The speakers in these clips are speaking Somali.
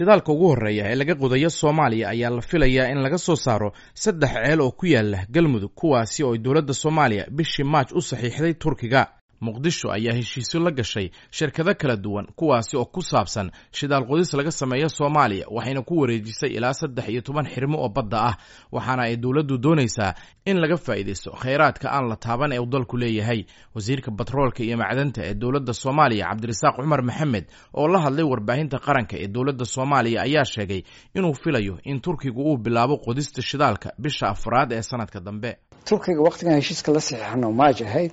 Shidaalka ugu horreeya ee laga qodayo Soomaaliya ayaa la filayaa in laga soo saaro 3 ceel oo ku yaala Galmudug, kuwaasi oo dowladda Soomaaliya bishii Maaj u saxiixday Turkiga. Muqdisho ayaa heshiisyo la gashay shirkado kala duwan, kuwaasi oo ku saabsan shidaal qodis laga sameeyo Soomaaliya, waxayna ku wareejisay ilaa 13 xirmo oo badda ah, waxaana ay dowladdu doonaysaa in laga faa'iidaysto kheyraadka aan la taaban ee uu dalku leeyahay. Wasiirka batroolka iyo macdanta ee dowladda Soomaaliya, Cabdirasaaq Cumar Maxamed, oo la hadlay warbaahinta qaranka ee dowladda Soomaaliya, ayaa sheegay inuu filayo in Turkigu uu bilaabo qodista shidaalka bisha 4aad ee sanadka dambe. Turkiga waqtigan heshiiska la saxiixano Maaj ahayd,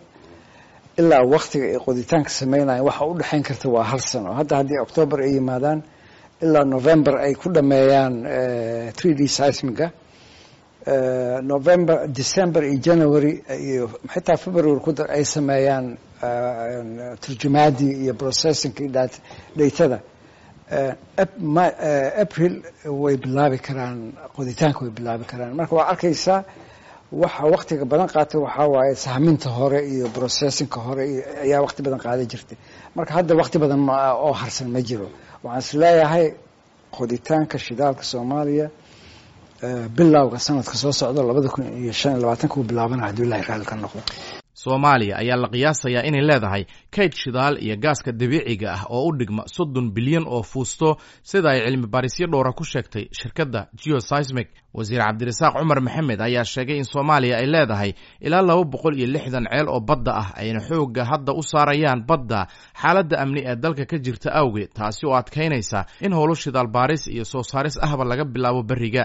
ilaa waktiga ay qoditaanka sameynayaan waxa u dhexayn karta waa hal sano. Hadda haddii Octoobar ay yimaadaan ilaa November ay ku dhameeyaan 3D seismiga, November, December iyo January iyo xitaa February ku dar ay sameeyaan turjumaadii iyo processingki datada, April way bilaabi karaan qoditaanka, way bilaabi karaan. Marka waa arkaysaa, waxa waktiga badan qaatay waxaa waaye sahminta hore iyo processingka hore iyo ayaa wakti badan qaadan jirtay. Marka hadda wakti badan ma oo harsan ma jiro. Waxaan is leeyahay qoditaanka shidaalka Soomaaliya bilowga sanadka soo socda 2025 uu bilaabana, hadduu Ilahay raalli ka noqdo. Soomaaliya ayaa la qiyaasayaa inay leedahay kayd shidaal iyo gaaska dabiiciga ah oo u dhigma 30 bilyan oo fuusto, sida ay cilmi baarisyo dhowra ku sheegtay shirkadda Geoseismic. Wasiir Cabdirasaaq Cumar Maxamed ayaa sheegay in Soomaaliya ay leedahay ilaa 260 ceel oo badda ah, ayna xoogga hadda u saarayaan badda xaaladda amni ee dalka ka jirta awgeed, taasi oo adkaynaysa in howlo shidaal baaris iyo soo saaris ahba laga bilaabo berriga.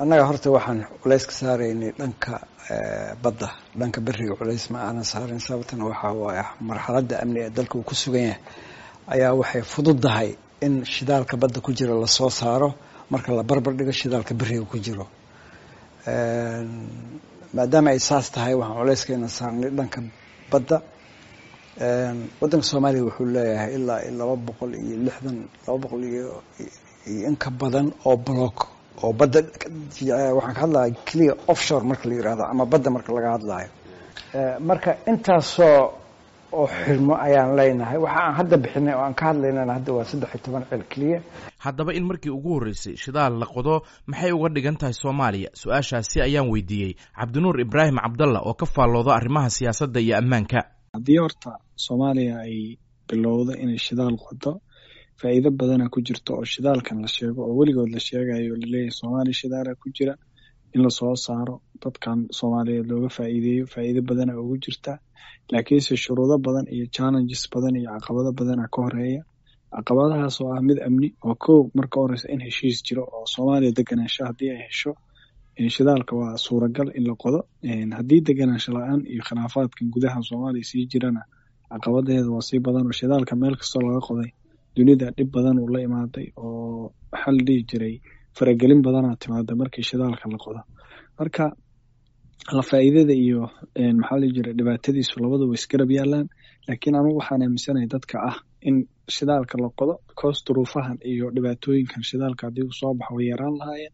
Annaga horta waxaan culays ka saaraynay dhanka badda, dhanka beriga culays ma aanan saarin. Sababtana waxaa waaye marxaladda amni ee dalka uu ku sugan yahay ayaa waxay fududahay in shidaalka badda ku jira lasoo saaro marka la barbar dhigo shidaalka beriga ku jiro. Maadaama ay saas tahay, waxaan culayskayna saarnay dhanka badda. Waddanka Soomaaliya wuxuu leeyahay ilaa 260, 200 iyo in ka badan oo block oo badda. Waxaan ka hadlaya clear offshore marka la yihahdo ama badda marka laga hadlayo. Marka intaasoo oo xirmo ayaan leenahay. Waxa aan hadda bixinay oo aan ka hadlaynana hadda waa 13 ceel keliya. Haddaba in markii ugu horreysay shidaal la qodo maxay uga dhigan tahay Soomaaliya? Su-aashaasi ayaan weydiiyey Cabdinuur Ibraahim Cabdalla oo ka faallooda arrimaha siyaasadda iyo ammaanka. Haddii horta Soomaaliya ay bilowdo inay shidaal qodo, faa'iido badana ku jirto oo shidaalkan la sheego oo weligood la sheegayo, laleeyahay Soomaaliya shidaala ku jira, in lasoo saaro, dadkan Soomaaliyeed looga faa'iideeyo, faa'iido badana ugu jirta. Laakiinse shuruudo badan iyo challenges badan iyo caqabado badana ka horeeya, caqabadahaas oo ah mid amni oo kow marka horeysa in heshiis jiro oo Soomaaliya deganaansho haddii ay hesho, shidaalka waa suuragal in la qodo. Haddii deganaansho la-aan iyo khilaafaadkan gudaha Soomaaliya sii jirana, caqabadeeda waa sii badan oo shidaalka meel kastoo laga qoday dunida dhib badan uu la imaaday, oo waxaa la dhihi jiray faragelin badanaa timaada markii shidaalka la qodo. Marka la faa'iidada iyo maxaa la dhihi jiray dhibaatadiisu labadu way isgarab yaalaan. Laakiin anugu waxaan aaminsanahay dadka ah in shidaalka la qodo because duruufahan iyo dhibaatooyinkan shidaalka haddii uu soo baxo way yaraan lahaayeen.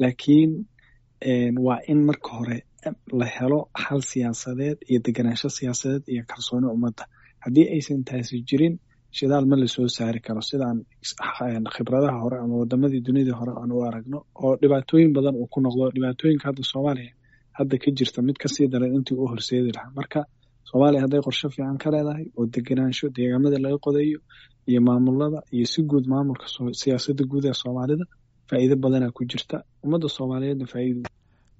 Laakiin waa in marka hore la helo xal siyaasadeed iyo deganaansho siyaasadeed iyo kalsooni ummadda. Haddii aysan taasi jirin, shidaal ma lasoo saari karo, sidaan khibradaha hore ama wadamadii dunida hore aan u aragno oo dhibaatooyin badan uu ku noqdo. Dhibaatooyinka hadda Soomaaliya hadda ka jirta mid kasii daran intii u horseedi lahaa. Marka Soomaaliya hadday qorshe fiican ka leedahay oo deganaansho deegaamada laga qodayo iyo maamulada iyo si guud maamulka siyaasadda guud ee Soomaalida, faa'iido badanaa ku jirta ummadda Soomaaliyeedna faa'iido.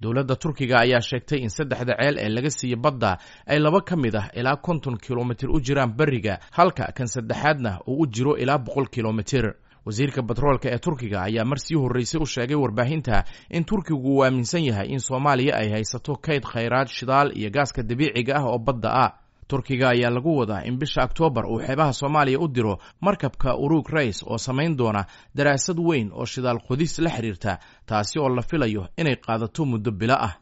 Dowladda Turkiga ayaa sheegtay in saddexda ceel ee laga siiyey badda ay laba ka mid ah ilaa 50 kilomitir u jiraan beriga, halka kan saddexaadna uu u jiro ilaa 100 kilomitir. Wasiirka batroolka ee Turkiga ayaa mar sii horreysay u sheegay warbaahinta in Turkigu uu aaminsan yahay in Soomaaliya ay haysato kayd khayraad shidaal iyo gaaska dabiiciga ah oo badda ah. Turkiga ayaa lagu wadaa in bisha Oktoobar uu xeebaha Soomaaliya u diro markabka Urug Rays oo samayn doona daraasad weyn oo shidaal qodis la xiriirta, taasi oo la filayo inay qaadato muddo bilo ah.